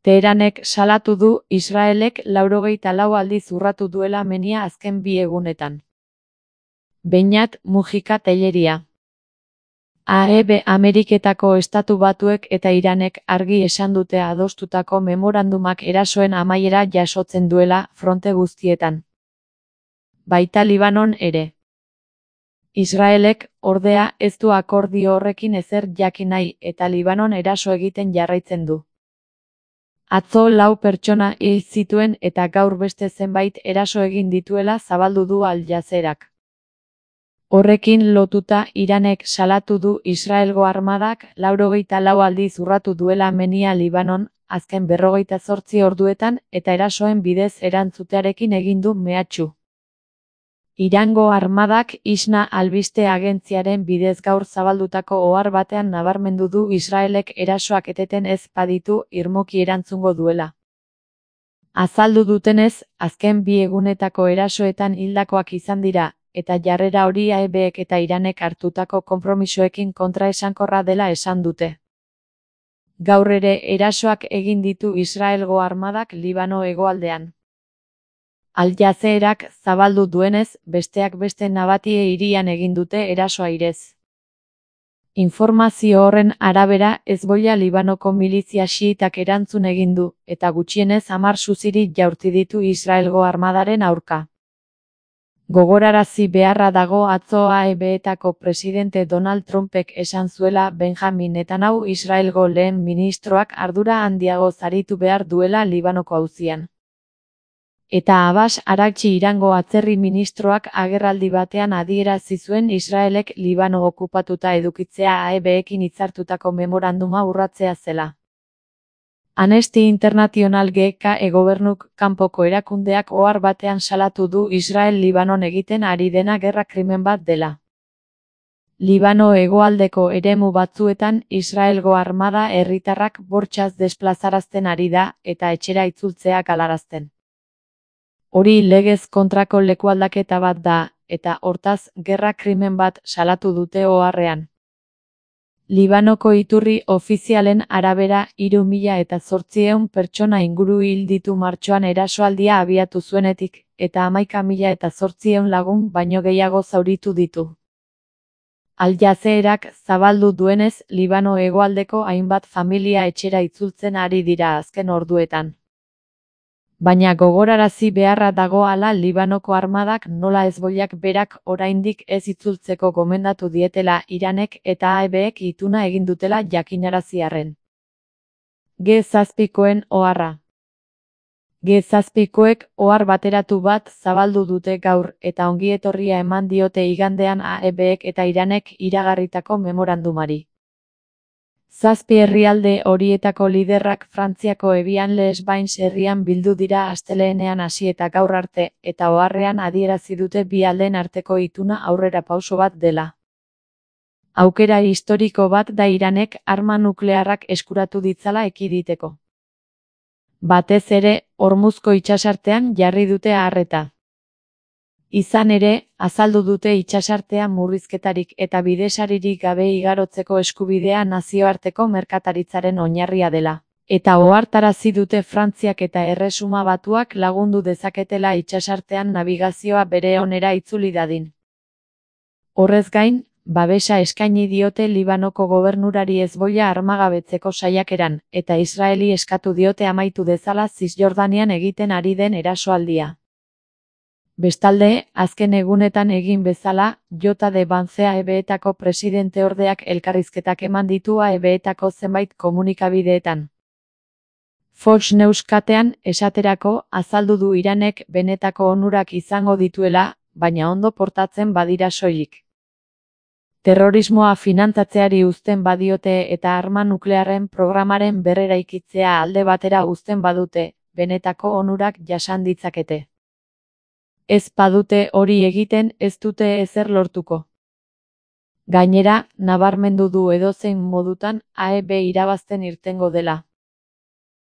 Teheranek salatu du Israelek 94 aldiz urratu duela menia azken 2 egunetan. Beñat Mujika Telleria. Ameriketako Estatu Batuek eta Iranek argi esan dute adostutako memorandumak erasoen amaiera jasotzen duela fronte guztietan. Baita Libanon ere. Israelek, ordea, ez du akordio horrekin ezer jakin nahi eta Libanon eraso egiten jarraitzen du. Atzo 4 pertsona hil zituen eta gaur beste zenbait eraso egin dituela zabaldu du Al Jazeerak. Horrekin lotuta Iranek salatu du Israelgo armadak 94 aldiz urratu duela menia Libanon, azken 48 orduetan eta erasoen bidez erantzutearekin egin du mehatxu. Irango armadak ISNA albiste agentziaren bidez gaur zabaldutako ohar batean nabarmendu du Israelek erasoak eteten ez baditu irmoki erantzungo duela. Azaldu dutenez, azken 2 egunetako erasoetan hildakoak izan dira, eta jarrera hori AEBek eta Iranek hartutako konpromisoekin kontraesankorra dela esan dute. Gaur ere erasoak egin ditu Israelgo armadak Libano hegoaldean. Al Jazeerak zabaldu duenez, besteak beste Nabatie hirian egin dute eraso airez. Informazio horren arabera Hezbollah Libanoko milizia xiitak erantzun egin du, eta gutxienez 10 suziri jaurti ditu Israelgo armadaren aurka. Gogorarazi beharra dago atzo AEBetako presidente Donald Trumpek esan zuela Benjamin Netanyahu Israelgo lehen ministroak ardura handiago zaritu behar duela Libanoko auzian. Eta Abbas Araghchi Irango atzerri ministroak agerraldi batean adierazi zuen Israelek Libano okupatuta edukitzea AEBekin hitzartutako memoranduma urratzea zela. Amnesty International GK gobernuk kanpoko erakundeak ohar batean salatu du Israel Libanon egiten ari dena gerra krimen bat dela. Libano hegoaldeko eremu batzuetan Israelgo armada herritarrak bortxaz desplazarazten ari da eta etxera itzultzea galarazten. Hori legez kontrako lekualdaketa bat da, eta hortaz gerra krimen bat salatu dute oharrean. Libanoko iturri ofizialen arabera 3.800 pertsona inguru hil ditu martxoan erasoaldia abiatu zuenetik, eta 11.800 lagun baino gehiago zauritu ditu. Al Jazeerak zabaldu duenez, Libano hegoaldeko hainbat familia etxera itzultzen ari dira azken orduetan. Baina gogorarazi beharra dago hala Libanoko armadak nola Hezbollak berak oraindik ez itzultzeko gomendatu dietela Iranek eta AEBek ituna egin dutela jakinarazi arren. G7koen oharra. G7koek ohar bateratu bat zabaldu dute gaur eta ongietorria eman diote igandean AEBek eta Iranek iragarritako memorandumari. 7 herrialde horietako liderrak Frantziako Evian les Bains herrian bildu dira astelehenean hasi eta gaur arte, eta oharrean adierazi dute bi aldeen arteko ituna aurrera pauso bat dela. Aukera historiko bat da Iranek arma nuklearrak eskuratu ditzala ekiditeko. Batez ere, Hormuzko itsasartean jarri dute arreta. Izan ere, azaldu dute itsasartean murrizketarik eta bidesaririk gabe igarotzeko eskubidea nazioarteko merkataritzaren oinarria dela. Eta ohartarazi dute Frantziak eta Erresuma Batuak lagundu dezaketela itsasartean nabigazioa bere onera itzuli dadin. Horrez gain, babesa eskaini diote Libanoko gobernurari Hezbollah armagabetzeko saiakeran, eta Israeli eskatu diote amaitu dezala Zisjordanian egiten ari den erasoaldia. Bestalde, azken egunetan egin bezala, J.D. Vance AEBetako presidente ordeak elkarrizketak eman ditu AEBetako zenbait komunikabideetan. Fox News katean, esaterako, azaldu du Iranek benetako onurak izango dituela, baina ondo portatzen badira soilik. Terrorismoa finantzatzeari uzten badiote eta arma nuklearren programaren berreraikitzea alde batera uzten badute, benetako onurak jasan ditzakete. Ez badute hori egiten ez dute ezer lortuko. Gainera, nabarmendu du edozein modutan AEB irabazten irtengo dela.